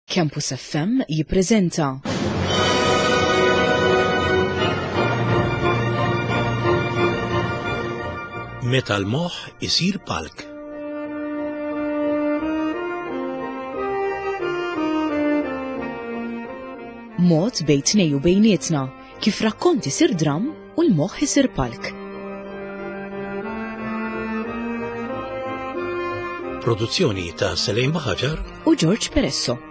Campus FM jippreżenta. Meta l-moħħ isir palk. Mod bejn tnej u bejnietna kif rakkont isir dramm u l-moħħ isir palk. Produzzjoni ta' Selejn Baħaġar u George Peresso.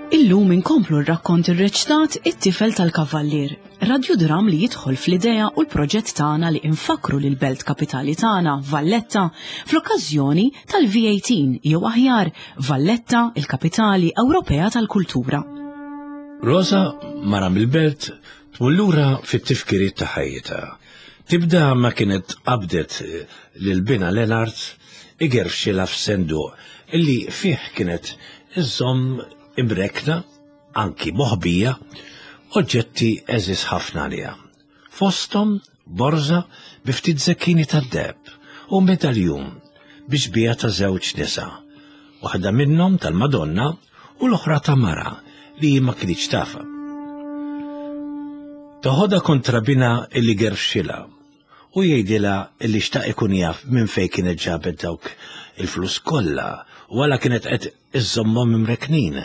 Illum inkomplu r-rakkont irreċtat It-tifel tal-kavallier, radjudram li jidħol fl-idea u l-proġett tagħna li infakru lil belt kapitali tagħna, Valletta, fl-okkażjoni tal-V18 jew aħjar Valletta, il-kapitali Ewropea tal-kultura. Rosa, mara mill-belt, tmur lura fit-tifkiriet ta' ħajjitha. Tibda ma kienet qabdet lil binha Lenard igerfxilha f'senduq illi fih kienet iżżomm imrekkna, anki moħbija, oġġetti għeżież ħafna għaliha. Fosthom borża bi ftit zekkini tad-deheb u medaljun bi xbieha ta' żewġ nisa, waħda minnhom tal-Madonna u l-oħra ta' mara li hi ma kinitx tafha. Toħodha kontra binha illi gerfxilha u jgħidilha illi xtaq ikun jaf minn fejn kienet ġabet dawk il-flus kollha u għala kienet qed iżżommhom imrekknin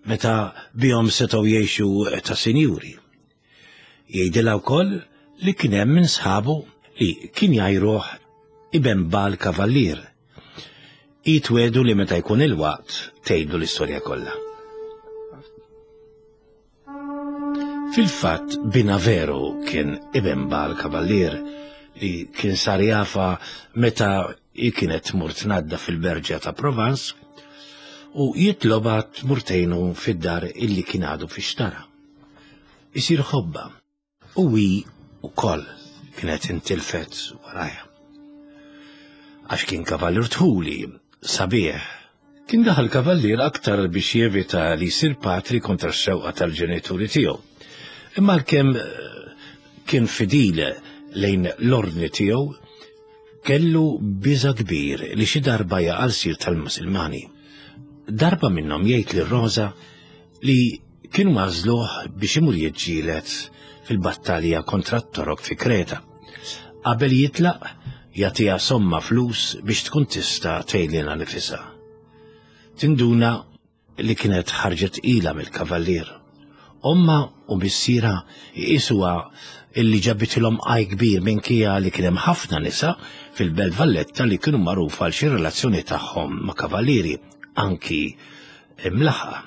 meta bihom setgħu jgħixu ta' sinjuri. Jgħidilha wkoll li kien hemm minn sħabu li kien jgħajruh iben Bal Kavallier. Hi twedu li meta jkun il-waqt tgħidlu l-istorja kollha. Fil-fatt binha veru kien iben Bal Kavallier li kien sar jafa meta hi kienet tmur tnadda fil-berġa ta' Provence u jitlobha tmur tgħinu fid-dar illi kien għadu fi xtara. Isir ħobba u hi wkoll kienet intilfet warajha. Għax kien kavallier tħuli, sabiħ. Kien daħal kavallier aktar biex jevita li jsir patri kontra x-xewqa tal-ġenituri tiegħu. Imma għalkemm eh, kien fidil lejn l-ordni tiegħu, kellu biża kbir li xi darba jaqa' sir tal-Musulmani. Darba minnhom jgħid lil Rosa li kienu għażluh biex imur jiġġieled fil-battalja kontra t-Torok fi Kreta. Qabel jitlaq, jagħtiha somma flus biex tkun tista' tgħidilha nifisha. Tinduna li kienet ħarġet tqila mill-kavallier. Omma u missierha jqisuha illi ġabitilhom għaj kbir minkejja li kien hemm ħafna nisa fil-Belt Valletta li kienu magħrufa għal xi relazzjoni tagħhom ma' kavallieri, anki imlaħħqa.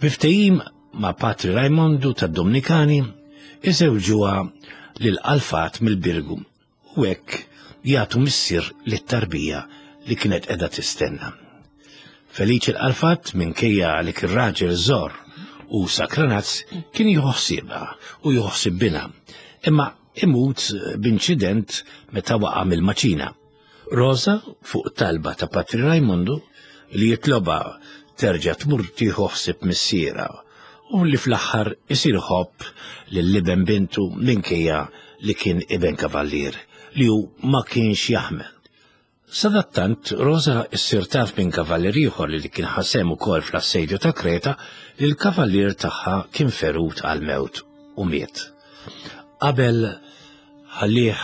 Bi ftehim ma' Patri Rajmondu tad-Domnikani, iżewġuha lil Alfat mill-Birgu u hekk jagħtu missier lit-tarbija li kienet qiegħda tistenna. Feliċi l-Alfat minkejja li kien raġel żor u sakranazz kien jieħu ħsiebha u jieħu ħsieb binha, imma imut b'inċident meta waqa' mill-maċina. Rosa, fuq talba ta' Patri Rajmondu, li jitlobha terġa' tmur tieħu ħsieb missierha u li fl-aħħar isir iħobb lil iben bintu minkejja li kien iben kavallier li hu ma kienx jaħmel. Sadattant, Rosa ssir taf minn kavallier ieħor li kien ħa sehem ukoll fl-assedju ta' Kreta li l-kavallier tagħha kien ferut għall-mewt u miet. Qabel ħallih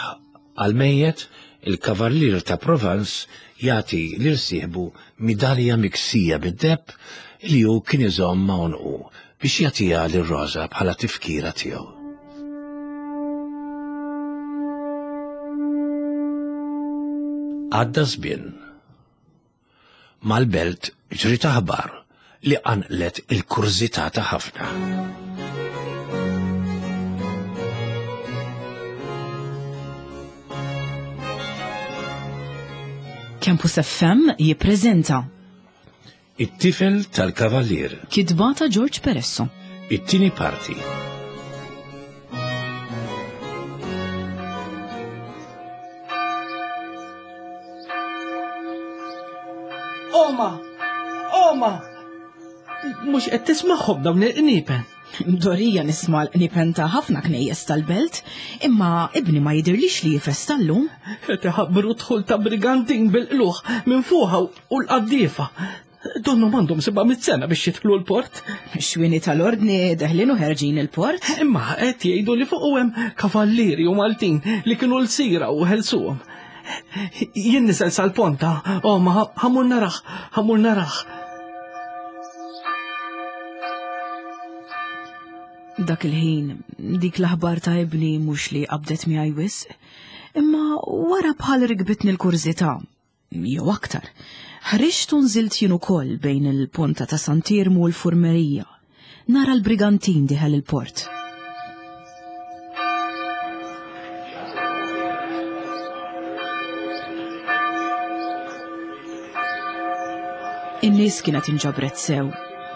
għall-mejjet, il-Kavallier ta' Provence jagħti lil sieħbu midalja miksija bid-deheb li hu kien iżomm ma' għonqu biex jagħtiha lil Rosa bħala tifkira tiegħu. Għadda żmien. Mal-belt ġriet aħbar li qanqlet il-kurżità ta' ħafna. Campus FM jippreżenta It-tifel tal-kavallier. Kitba ta' George Peresso. It-tieni parti. Oma! Oma! Mhux qed tismagħhom dawn il-qniepen. Mdorija nisma' l-qniepen ta' ħafna knejjes tal-belt, imma ibni ma jidhirlix li jifesta llum. Qed iħabbru dħul ta' brigantin bil-qlugħ minn fuqha u l-qaddiefa. Donnhom għandhom 700 sena biex jidħlu l-port. Xwini tal-ordni deħlin u ħerġin il-port. Imma qed jgħidu li fuq hemm kavallieri u Maltin li kienu l-sira u ħelsuhom. Jien nisel sal-ponta, oh ma ħamur naraħ, ħamur naraħ. Dak il-ħin, dik l-aħbar ta' ibni mhux li qabdet miegħi wisq, imma wara bħal rikbitni l-kurżità, jew aktar. Ħriġt u nżilt jien ukoll bejn il-ponta ta' Sant'Iermu u l-Furmerija. Nara l-brigantin diħel il-port. In-nies kienet inġabret sew.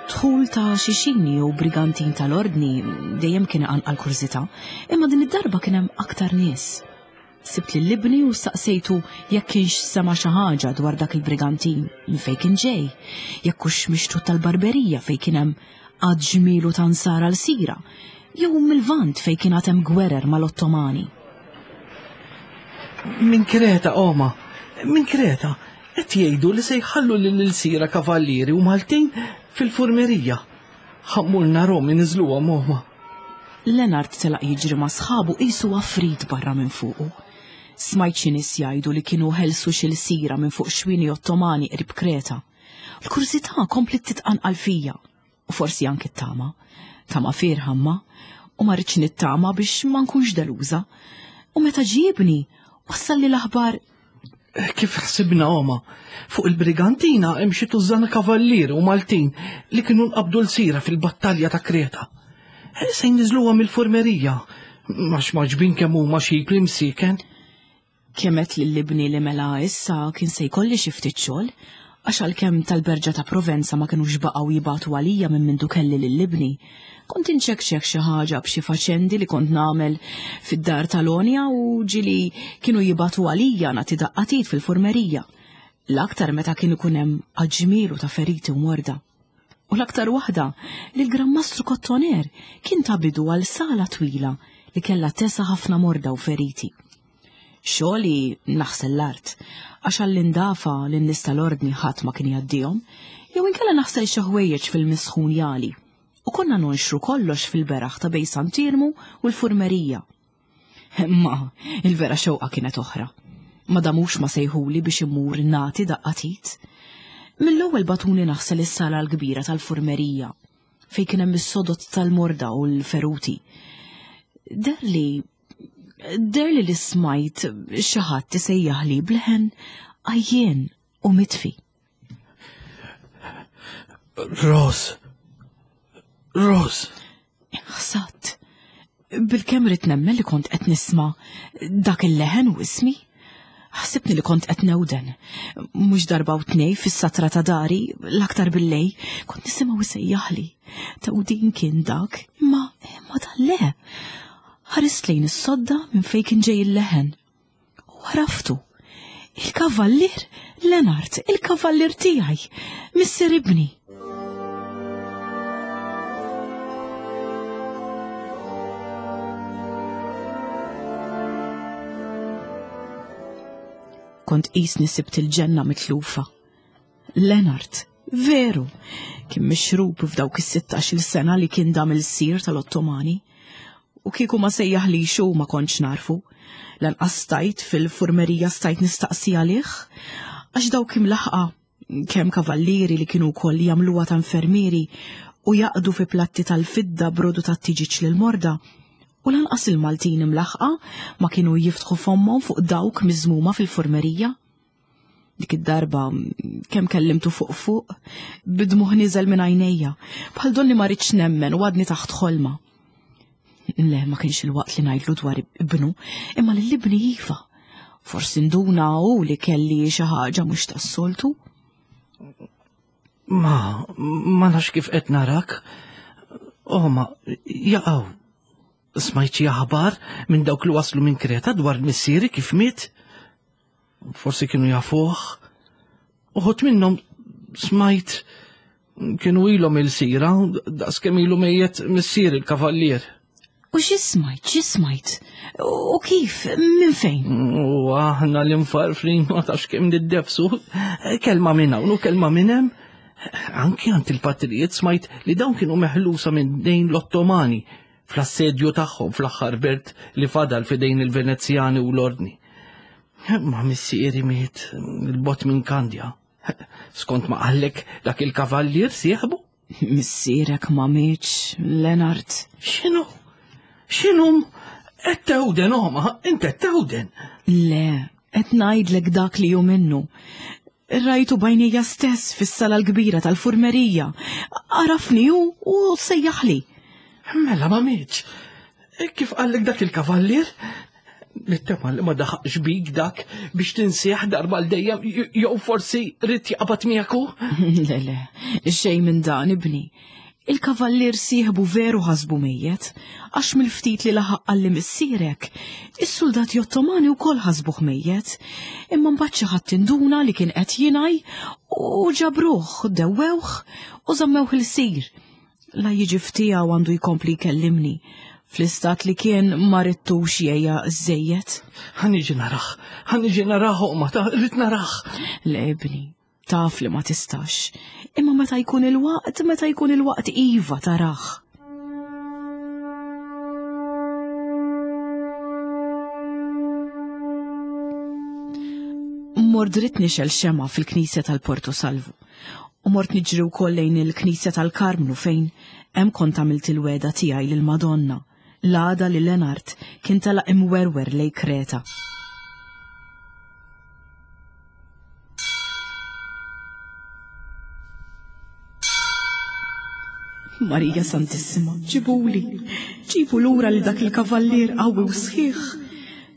Dħul ta' xi xini jew brigantin tal-ordni dejjem kien iqanqal kurżità, imma din id-darba kien hemm aktar nies. Sibt lil ibni u staqsejtu jekk kienx sema' xi ħaġa dwar dak il-brigantin, minn fejn kien ġej, jekk hux mixtut tal-Barberija fejn kien hemm għadd ġmielu ta' nsara lsira, jew mil-Lvant fejn kien għad hemm gwerer mal-Ottomani. Minn Kreta, oma, minn Kreta, qed jgħidu li se jħallu lill-ilsira kavallieri u Maltin fil-furmerija. Ħa mmur narhom iniżżluhom, oma. Leonard telaq jiġri ma' sħabu qisu għafrit barra minn fuqu. Smajt xi nies jgħidu li kienu ħelsu xi lsira minn fuq xwieni Ottomani qrib Kreta. L-kurżità kompliet titqanqal fija, u forsi anki t-tama. Tama fierħa imma, u ma ridtx nittama biex ma nkunx deluża. U meta ġie ibni, wassalli l-aħbar Kif ħsibna oma, fuq il-Brigantina hemm xi tużżana kavallieri u Maltin li kienu nqabdu l-sira fil-battalja ta' Kreta. Eh, se jniżluha mill-furmerija, għax maġbin kemm huma xi msiken. Kemet lil ibni li mela issa kien se jkolli xi ftit xogħol, għax għalkemm tal-Berġa ta' Provenza ma kinux baqgħu jibagħtu għalija minn mindu kelli lil ibni, Kont inċekċek xi ħaġa b'xi faċendi li kont nagħmel fid-dar tal-Onja u ġieli kienu jibagħtu għalija nagħti daqqa t'id fil-furmerija. L-aktar meta kien ikun hemm għadd ġmielu ta' feriti u morda. U l-aktar waħda li l-Gran Mastru Kottoner kien ta bidu għal sala twila li kellha tesa' ħafna morda u feriti. Xogħli naħsel l-art, għax għall-indafa lin-nies tal-ordni ħadd ma kien jgħaddihom, jew inkella naħsel xi ħwejjeġ fil-misħun jagħli. U konna nonxru kollox fil-beraħ ta' bejn Sant'Iermu u l-Furmerija. Imma il-vera xewqa kienet oħra. Ma damux ma sejħuli biex immur nagħti daqqa t'id. Mill-ewwel bagħtuni naħsel is-sala l-kbira tal-Furmerija, fejn kien hemm is-sodod tal-morda u l-feruti. Deherli Deherli li smajt xi ħadd isejjaħli b'leħen għajjien u mitfi. Ros. Ros. Ħsatt. Bil-kemm ridt nemmen li kont qed nisma' dak il-leħen u ismi. Ħsibni li kont qed newden. Mhux darba u tnej fis-satra ta' dari, l-aktar billej, kont nisimgħu isejjaħli. Tewdin kien dak, imma imma dan le. Ħarist lejn is-sodda minn fejn kien ġej il-leħen. U għaraftu. Il-kavallier Lenart, il-kavallier tiegħi, missier ibni. Kont qisni sibt il-ġenna mitlufa. Lenart, veru, kien mixrub f'dawk is-16-il sena li kien dam il-sir tal-Ottomani. U kieku ma sejjaħlix hu ma kontx narfu. Lanqas stajt fil-furmerija stajt nistaqsi għalih, għax dawk imlaħqa kemm kavallieri li kienu wkoll jagħmluha ta' infermieri u jaqdu fi platti tal-fidda brodu tat-tiġiġ lill-morda, u lanqas il-Maltin imlaħħqa ma kienu jiftħu fommhom fuq dawk miżmuma fil-furmerija. Dik id-darba kemm kellimtu fuq fuq, bidmuħ niżel minn għajnejja, bħal donni ma rridx nemmen u għadni taħt ħolma. Le, ma kienx il-waqt li ngħidlu dwar ibnu, imma lil ibni iva. Forsi nduna hu li kelli xi ħaġa mhux tas-soltu. Ma, ma nafx kif qed narak. Oh, ma, jaqaw. Smajt xi aħbar minn dawk li waslu minn Kreta dwar missieri kif miet? Forsi kienu jafuh. Uħut minnhom smajt. Kienu ilhom il-sira, daqskemm ilu mejjet missier il-kavallier. U xi smajt, xi smajt? U kif, minn fejn? U aħna l-infarfrin ma tafx kemm niddefsu. Kelma minn hawn u kelma minn hemm. Anki għand il-patrijiet smajt li dawn kienu meħlusa minn dejn l-Ottomani fl-assedju tagħhom fl-aħħar belt li fadal fidejn il-Venezjani u l-Ordni. Ma missieri miet il-bot minn Kandja. Skont ma qallek dak il-kavallier sieħbu? Missierek ma mietx, Lenard. X'inhu? X'inhu? Qed tewden oma, int qed tewden. Le, qed ngħidlek dak li hu minnu. Rajtu bajnija stess fis-sala l-kbira tal-furmerija. Għarafni hu u sejjaħli. Mela ma mietx. Kif qallek dak il-kavallier? Nittama li ma daħaqx bik dak biex tinsieħ darba l dejjem jew forsi rrid jaqbad miegħek hu? Le, le, xejn minn dan ibni. Il-kavallier sieħbu veru ħasbu mejjet, għax mill-ftit li laħaq qalli missierek, is-suldati Ottomani wkoll ħasbuh mejjet, imma mbagħad xi ħadd induna li kien qed jingħaj u ġabruh, dewwewh u żammewh ilsir. La jiġi f'tiegħu għandu jkompli jkellimni. Fl-istat li kien ma ridtux jgħejja żejjed. Ħa niġi narah, ħa niġi narah oqma ta' rrid narah. Le ibni, taf li ma tistax. Imma meta jkun il-waqt, meta jkun il-waqt iva tarah. Mort dritt nixgħel xemgħa fil-knisja tal-Porto Salvu. U mort niġri wkoll lejn il-Knisja tal-Karmnu fejn hemm kont għamilt il-wegħda tiegħi lill-Madonna, l-għada li Lenart kien telaq imwerwer lejn Kreta. Marija Santissima, ġibuli, ġibu lura li dak il-kavallier qawwi u sħiħ.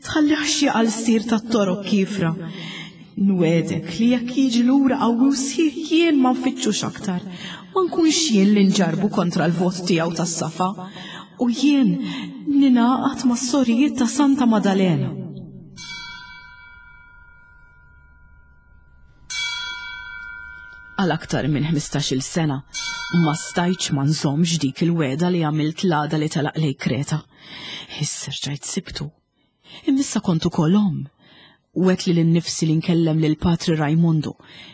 Tħallihx jaqa' l-sir tat-torok kiefra. Nwegħdek li jekk jiġi lura qawwi u sħiħ jien ma nfittxux aktar. Ma nkunx jien li nġarrbu kontra l-vot tiegħu tas-safa. U jien ningħaqad mas-sorijiet ta' Santa Madalena. Għal aktar minn 15-il sena ma stajtx ma nżommx dik il-wegħda li għamilt l-għada li telaq lejn Kreta. Issa rġajt sibtu. Imma issa kont ukoll omm. Wegħdt lili nnifsi li nkellem lil Patri Rajmundu,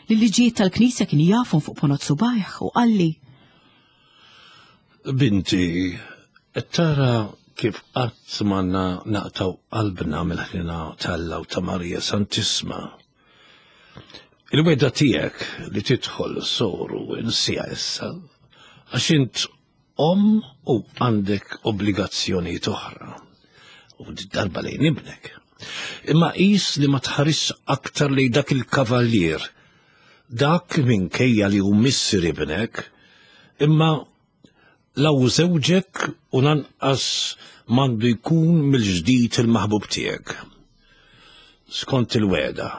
li l-liġijiet tal-Knisja kien jafhom fuq ponot subgħajh u qalli. Binti, qed tara kif qatt m'għandna naqtgħu qalbna mill-ħniena t'Alla u ta' Marija Santissma. Il-wegħda tiegħek li tidħol soru insiha issa, għax int omm u għandek obbligazzjonijiet oħra. U darba lejn ibnek. Imma qis li ma tħarisx aktar lejn dak il-kavallier, dak minkejja li hu missier ibnek, imma la hu żewġek u lanqas m'għandu jkun mill-ġdid il-maħbub tiegħek. Skont il-wegħda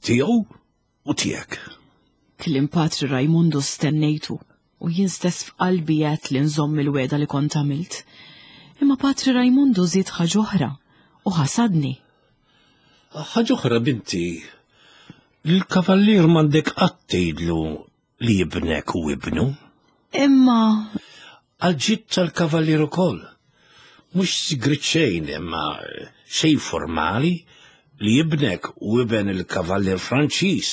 tiegħu u tiegħek. Kliem Patri Rajmundu stennejtu u jien stess f'qalbi għedt li nżomm il-wegħda li kont għamilt. Imma Patri Rajmundu żied ħaġa oħra u ħasadni. Ħaġa oħra binti, lill-kavallier m'għandek qatt tgħidlu li ibnek u ibnu. Imma. Għal-ġid tal-kavallier ukoll. Mhux sigriet xejn imma xejn formali li ibnek u iben il-kavallier Franċiż.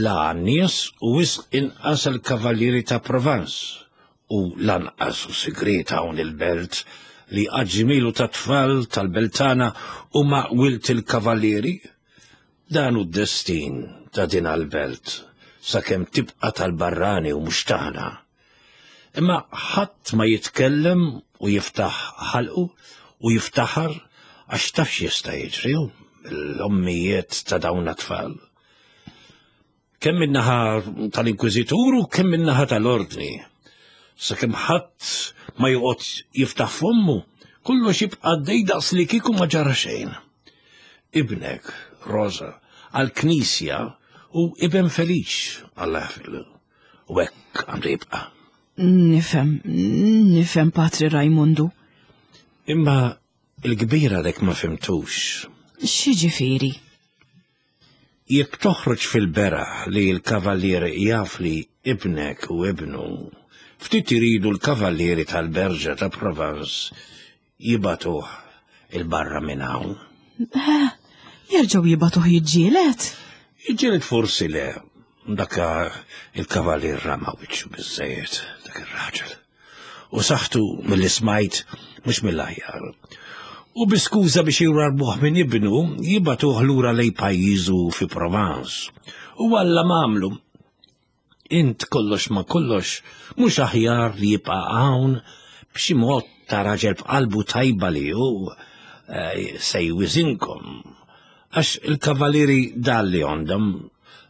La għan-nies u wisq inqas għall-kavallieri ta' Provence u lanqas hu sigriet hawn il-belt li għadd ġmielu ta' tfal tal-beltana huma wild il-kavallieri. Dan hu d-destin ta' din għall-belt, sakemm tibqa' tal-barrani u mhux tagħna. Imma ħadd ma jitkellem u jiftaħ ħalqu u jiftaħar għax taf x'jista' jiġri mill-ommijiet ta' dawn t-tfal. Kemm min-naħa tal-Inkwiżitur u kemm min-naħa tal-Ordni. Sakemm ħadd ma joqgħod jiftaħ fommu, kollox jibqa' għaddej daqs li kieku ma ġara xejn. Ibnek, Rosa, għall-Knisja hu iben Feliċ, Alla jaħfirlu. U hekk għandu jibqa'. Nifhem, nifhem Patri Rajmundu. Imma il-kbir għadek ma fimtux. X'jiġifieri? Jekk toħroġ fil-beraħ li l-kavallier jaf li Ibnek u ibnu ftit iridu l-kavallieri tal-Berġa ta' Provence jibagħtuh il-barra minn hawn. Eh, jerġgħu jibagħtuh jiġġieled? Jiġġieled forsi le, dak il-kavallier rama wiċċu biżejjed dak ir-raġel. U saħtu mill smajt mhux mill-aħjar. U bi skuża biex jwarbuh minn ibnu, jibagħtuh lura lej pajjiżu fi Provence. U Alla m'għamlu. Int kollox ma kollox mhux aħjar li jibqa' hawn b'xi mod ta' raġel b'qalbu tajba li hu eh, se jwiżinkom. Għax il-kavalieri dalli għandhom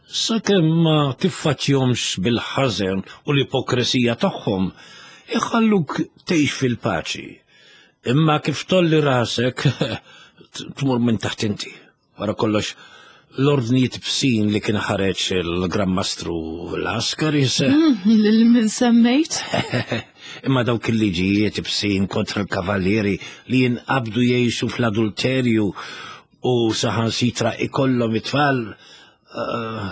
sakemm ma tiffaċjomx bil-ħażen u l-ipokresija tagħhom iħalluk tgħix fil-paċi. Imma kif tolli rasek tmur minn taħt inti. Wara kollox, l-ordnijiet bsin li kien ħareġ il-Gran Mastru Laskaris. Mm, lil min semmejt? Imma dawk il-liġijiet bsin kontra l-kavallieri li jinqabdu jgħixu fl-adulterju u saħansitra ikollhom it-tfal, eh,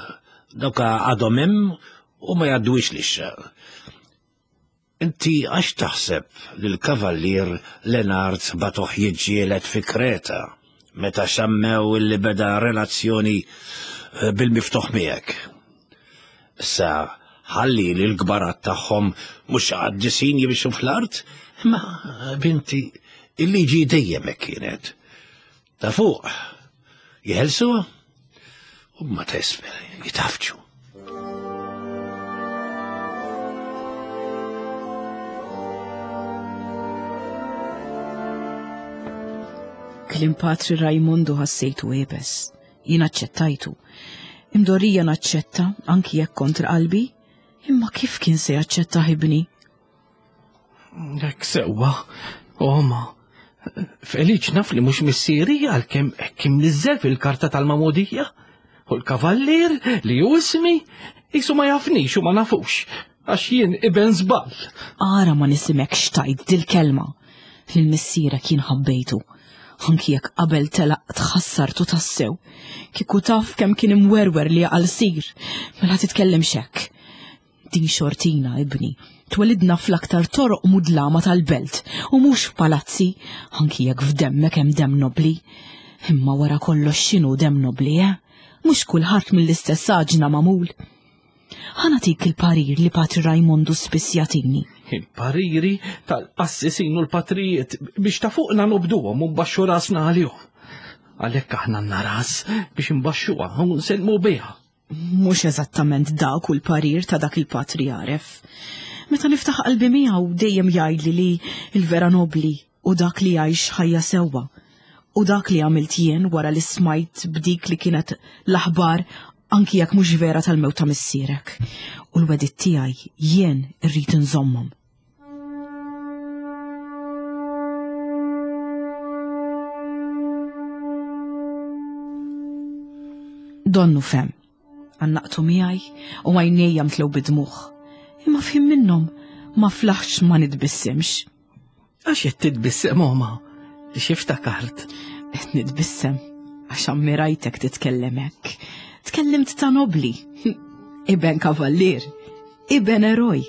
dawk għadhom hemm u ma jgħadduwix lixxa. Inti għax taħseb li l-Kavallier Lenard bagħtuh jiġġieled fi Kreta meta xammew illi beda relazzjoni eh, bil-miftuħ miegħek? Issa ħalli li l-kbarat tagħhom mhux qaddisin jimxu fl-art, imma binti il-liġi dejjem hekk kienet. Ta' fuq jeħelsu u ma ta' isfel jitafġu. Kliem Patri Rajmondu ħassejtu iebes. Jien aċċettajtu. Imdorrija naċċetta anki jekk kontra qalbi, imma kif kien se jaċċetta ibni? Hekk sewwa, oma. Feliċ naf li mhux missieri għalkemm hekk imniżżel fil-karta tal-mamudija. U l-kavallier li hu ismi jisu ma jafnix u ma nafux għax jien iben żball. Ara ma nisimekx tajt dil-kelma. Lil missierek jien ħabbejtu. Anki jekk qabel telaq tħassartu tassew. Kieku taf kemm kien imwerwer li għal sir. Mela titkellimx hekk. Din xortina, ibni. Twelidna fl-aktar toroq mudlama tal-belt u mhux f'palazzi, anki jekk f'demmek hemm demm nobbli. Imma wara kollox x'inhu demm nobbli, eh? Mhux kulħadd mill-istess għaġna magħmul. Ħa nagħtik il-parir li Patri Rajmondu spiss jagħtini. Il-pariri tal-qassisin u l-patrijiet biex ta' fuqna nobduhom u nbaxxu rasna għalihom. Għalhekk aħna għandna ras biex nbaxxuha u nsellmu biha. Mhux eżattament dak hu l-parir ta' dak il-patri għaref. Meta niftaħ qalbi miegħu dejjem jgħidli li l-vera nobbli hu dak li jgħix ħajja sewwa. U dak li għamilt jien wara li smajt b'dik li kienet l-aħbar anki jekk mhux vera tal-mewt ta' missierek. U l-wegħdiet tiegħi jien irrid inżommhom. Donnu fem. Għannaqtu miegħi u għajnejja mtlew bid-dmugħ. Imma f'ħin minnhom ma flaħx ma nitbissimx. Għax qed titbissem oma, xi ftakart? Qed nitbissem għax ammirajtek titkellem hekk. Tkellimt ta' nobli, iben kavallier, iben eroj.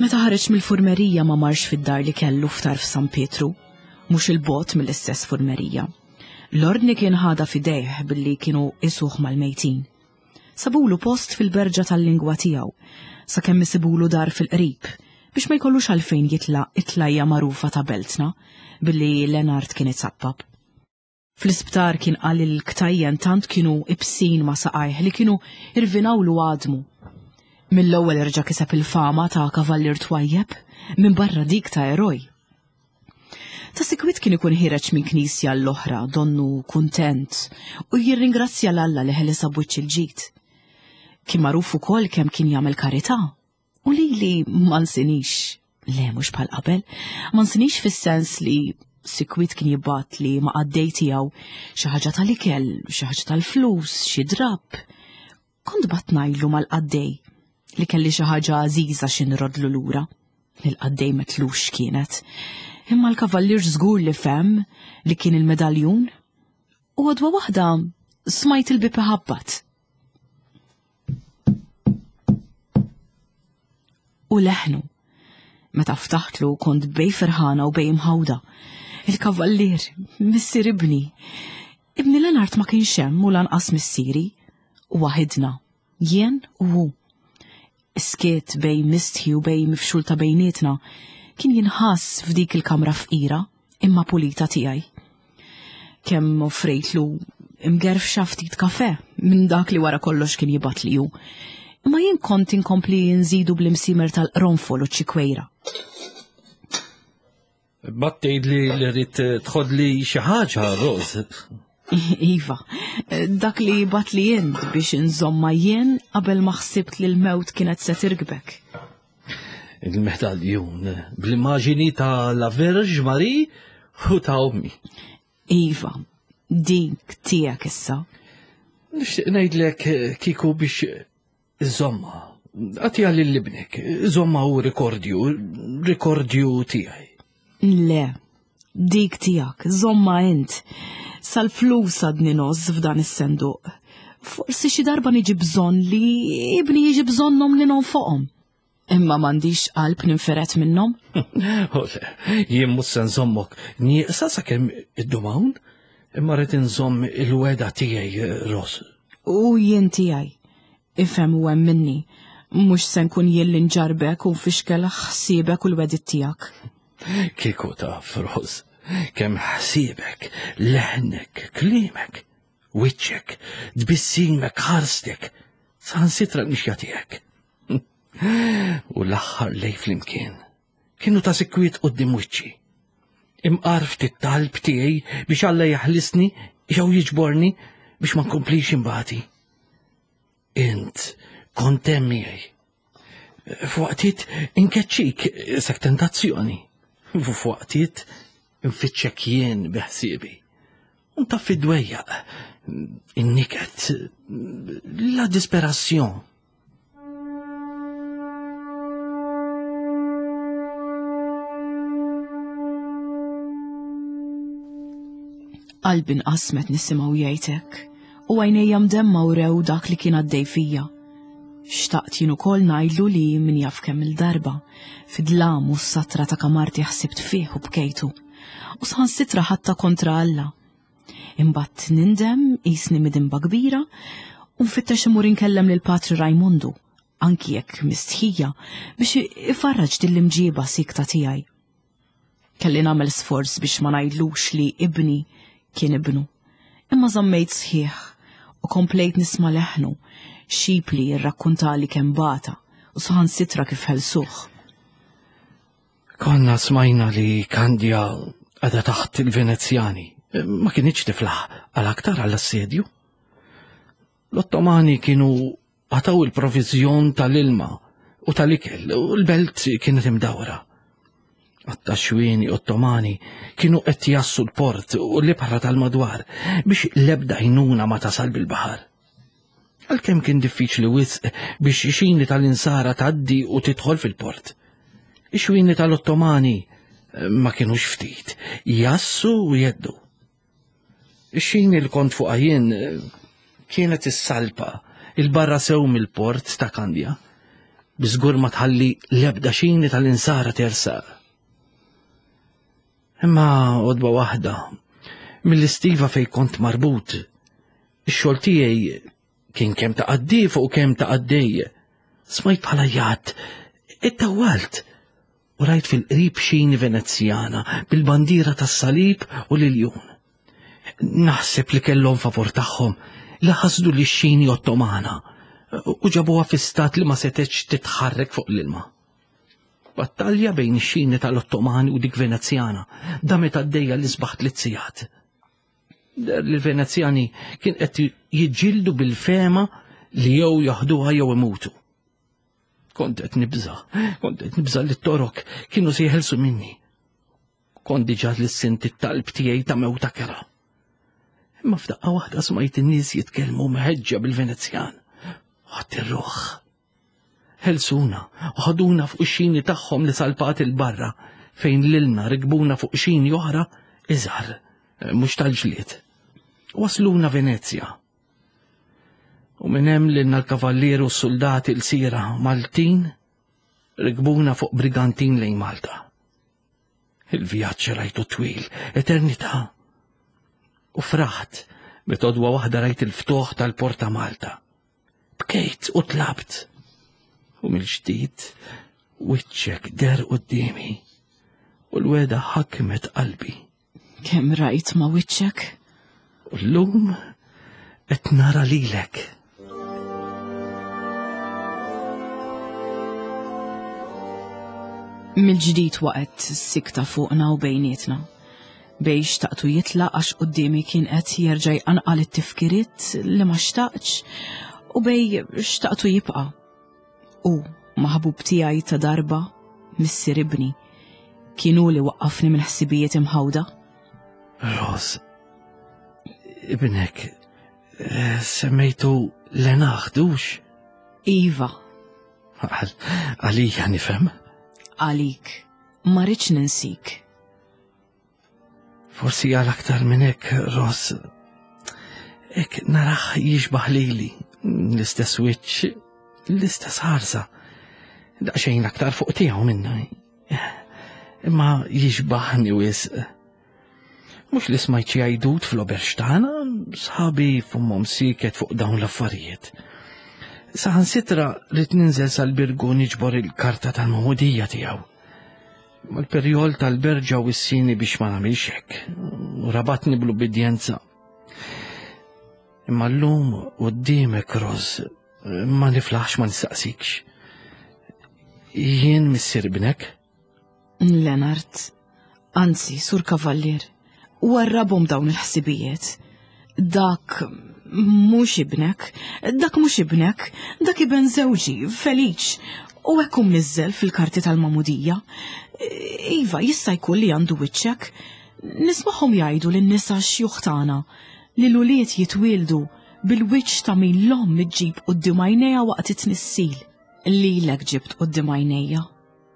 Meta ħareġ mill-furmerija ma marx fid-dar li kellu f'tarf San Pietru, mhux il-bot mill-istess furmerija. L-ordni kien ħadha f'idejh billi kienu isuh mal-mejtin. Sabulu post fil-berġa tal-lingwa tiegħu, sakemm isibulu dar fil-qrib, biex ma jkollux għalfejn jitla' it-tlajja magħrufa ta' beltna, billi Lenard kien izappap. Fl-isptar kien qal li l-ktajjen tant kienu ibsin ma' saqajh li kienu irvinawlu għadmu. Mill-ewwel reġa' kiseb il-fama ta' kavallier twajjeb, minbarra dik ta' eroj. Ta' sikwit kien ikun ħireġ minn knisja l-oħra donnu kuntent u jirringrazzja 'l Alla li ħelisha b'wiċċ il-ġid. Kien magħruf ukoll kemm kien jagħmel karità u lili ma nsinix, le mhux bħal qabel, ma nsinix fis-sens li sikwit kien jibgħat li ma' qaddej tiegħu xi ħaġa tal-ikel, xi ħaġa tal-flus, xi drapp. Kont bat ngħidlu mal-qaddej li kelli xi ħaġa għażiża xi nrodlu lura. Il-qaddej metlux kienet. Imma l-kavallier żgur li fehm li kien il-medaljun. U għodwa waħda smajt il-bib iħabbat. U leħnu. Meta ftaħtlu kont bej ferħana u bej imħawda. Il-kavallier, missier ibni. Ibni Lenart ma kienx hemm u lanqas missieri. U waħidna, jien u hu. Is-skiet bej mistħi u bej mifxul ta' bejnietna kien jinħass f'dik il-kamra fqira imma pulita tiegħi. Kemm offrejtlu imgerfxa ftit kafe minn dak li wara kollox kien jibgħat li hu. Imma jien kont inkompli nżidu bl-imsimer tal-qronfol u ċikwejra. Bat tgħidli li rrid tħodli xi ħaġa, Roz. Iva, dak li bat li jint biex inżomma jien qabel ma ħsibt li l-mewt kienet se tirkbek. Il-medaljun bl-immaġini ta' la Verge Marie u ta' ommi. Iva, dik tiegħek issa. Nixtieq ngħidlek kieku biex Iżomma, għatija lil ibnek, iżomma u rikordju, rikordju tiegħi. Le, dik tiegħek, żomma int. Sal-flus għadni noż f'dan is-senduq. Forsi xi darba niġi bżonn li ibni jiġi bżonnhom li nonfoqhom. Imma m'għandix qalb ninferet minnhom. Jien mhux se nżommok nieqsa sakemm iddum hawn, imma rrid inżomm il-weda tiegħi Ros. U jien tiegħi. Ifhem u hemm minni. Mhux se nkun jien li nġarbek u nfixkel ħsiebek u l-wedit tiegħek. Kieku taf, Ros, kemm ħsiebek, leħnek, klimek, wiċċek, tbissimek, ħarstek, saħansitra l-mixja tiegħek. U l-aħħar lej flimkien kienu ta' sikwiet qudiem wiċċi. Imqar ftit talb tiegħi biex Alla jaħlisni jew jiġborni biex ma nkomplix imbati. Int kont hemm miegħi. F'waqtiet inkeċċik sek tentazzjoni. F'waqtiet nfittxek jien biħsiebi. U taf id-dwejjaq, in-niket, la disperazzjon. Qalbi nqasmet nisimgħu jgħid hekk, u għajnejja mdemma wrew dak li kien għaddej fija. Xtaqt jien ukoll ngħidlu li min jaf kemm il-darba, fid-dlam u s-satra ta' kamarti ħsibt fih u bkejtu. U saħansitra ħadtha kontra Alla. Imbagħad nindem qisni midinba kbira u nfittex imur inkellem lil Patri Rajmondu, anki jekk mistħija, biex ifarraġ din l-imġiba sikta tiegħi. Kelli nagħmel sforz biex ma ngħidlux li ibni kien ibnu. Imma żammejt sħiħ u komplejt nisma' leħnu xipli jirrakkuntali kemm bata u saħansitra kif ħelsuh. Konna smajna li Kandja għadha taħt il-Venezjani. Ma kinitx tiflaħ għal aktar għall assedju. L-Ottomani kienu għataw il-provizjon tal-ilma u tal-ikel u l-belt kienet imdawra. Għatta xwieni Ottomani kienu qed jassu l-port u l-ibħra tal-madwar biex l-ebda jnuna ma tasal bil-baħar. Għalkemm kien diffiċli wisq biex xini tal-insara tgħaddi u tidħol fil-port. Ix-xwini tal-Ottomani eh, ma kienux ftit, jassu u jeddu. Ix-xini li kont fuq jien eh, kienet is-salpa il-barra sew mill-port ta' Kandja. Biżgur ma tħalli l-ebda xini tal-insara tersaq. Imma għodba waħda, mill-istiva fej kont marbut, ix-xogħol tiegħi kien kemm ta' qaddif u kemm ta' qaddej. Smajt bħala jgħat, ittawalt u rajt fil-qrib xini Venezjana bil-bandiera tas-salib u l-iljun. Naħseb li kellhom favur tagħhom li ħasdu li xini Ottomana u ġabuha fi stat li ma setgħetx titħarrek fuq l-ilma. Battalja bejn ix-xini tal-Ottomani u dik Venezjana damet għaddejja l-isbaħ tliet sigħat. Der li l-Venezjani kien qed jiġġieldu bil-fema li jew jaħduha jew imutu. Kont qed nibża, kont qed nibża li t-torok kienu se jeħelsu minni. Kont diġà lissint it-talb tiegħi ta' mewta kera. Imma f'daqqa waħda smajt in-nies jitkellmu mħeġġa bil-Venezjan. Ħadd ir-ruħ. Ħelsuna u ħaduna fuq ix-xini tagħhom li salpat il-barra. fejn lilna rikbuna fuq xini oħra iżgħar, mhux tal-ġlied. Wasluna Venezja. U minn hemm lilna l-kavallier u s-soldati l-sira Maltin rikbuna fuq brigantin lejn Malta. Il-vjaġġ rajtu twil, eternità. U fraħt meta odwa waħda rajt il-ftuħ tal-Porta Malta. Bkejt u tlabt. U mill-ġdid wiċċek der quddiemi u l-weda ħakmet qalbi. Kemm rajt ma' wiċċek? U llum qed nara lilek. Mill-ġdid waqgħet sikta fuqna u bejnietna. Bej xtaqtu jitlaq għax quddiemi kien qed jerġa' jqanqal it-tifkiriet li ma xtaqtx u bej xtaqtu jibqa'. U maħbub tiegħi ta' darba, missier ibni, kien hu li waqqafni minn ħsibijiet imħawda. Ros, ibnek, eh, semmejtu Lenaħdux? Iva. Għalija nifhem. Għalik, ma rridx ninsik. Forsi għal aktar minn hekk, Ross. Hekk naraħ jixbaħ lili, l-istess wiċċ, l-istess ħarsa. Daqsxejn aktar fuq tiegħu minna. Imma jixbaħni wisq. Mhux li smajt xi għajdut fl-oberx tagħna, sħabi fummhom siket fuq dawn l-affarijiet. Saħansitra rrid ninżel sal-birgu niġbor il-karta tal-magħmudija tiegħu. Mal-perjol tal-berġa wissini biex ma nagħmilx hekk, u rabatni bl-ubbidjenza. Imma llum quddiemek Roż ma niflaħx ma nistaqsikx. Jien missier ibnek? Leonard, anzi, sur kavallier, warrabhom dawn il-ħsibijiet. Dak mhux ibnek, dak mhux ibnek, dak iben żewġi, Feliċ, u hekk hu mniżżel fil-karti tal-magħmudija. Iva, jista' jkun li għandu wiċċek. Nismagħhom jgħidu lin-nisa xjuħ tagħna li l-ulied jitwieldu bil-wiċċ ta' min l-omm iġġib quddiem għajnejha waqt it-tnissil. Lilek ġibt quddiem għajnejja.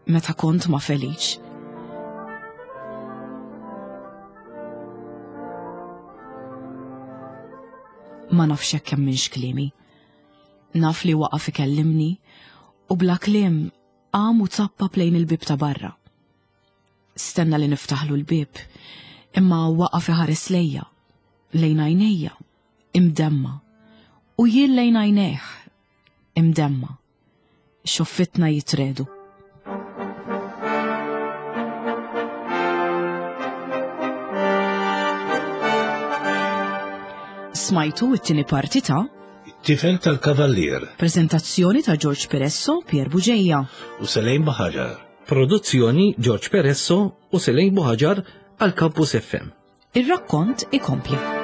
meta kont ma' Feliċ. Ma nafx hekk hemmx kliemi. Naf li waqaf ikellimni u bla kliem qam u zappap lejn il-bieb ta' barra. Stenna li niftaħlu l-bieb, imma waqaf iħares lejja, lejn għajnejja, imdemma, u jien lejn għajnejh, imdemma. Xuffitna jitredu. Smajtu it-tieni parti ta' Tifel tal-Kavallier. Prezentazzjoni ta' George Peresso, Pier Buġeja. U Selejn Buħaġar. Produzzjoni George Peresso u Selejn Buħaġar għal Campus FM. Ir-rakkont ikompli.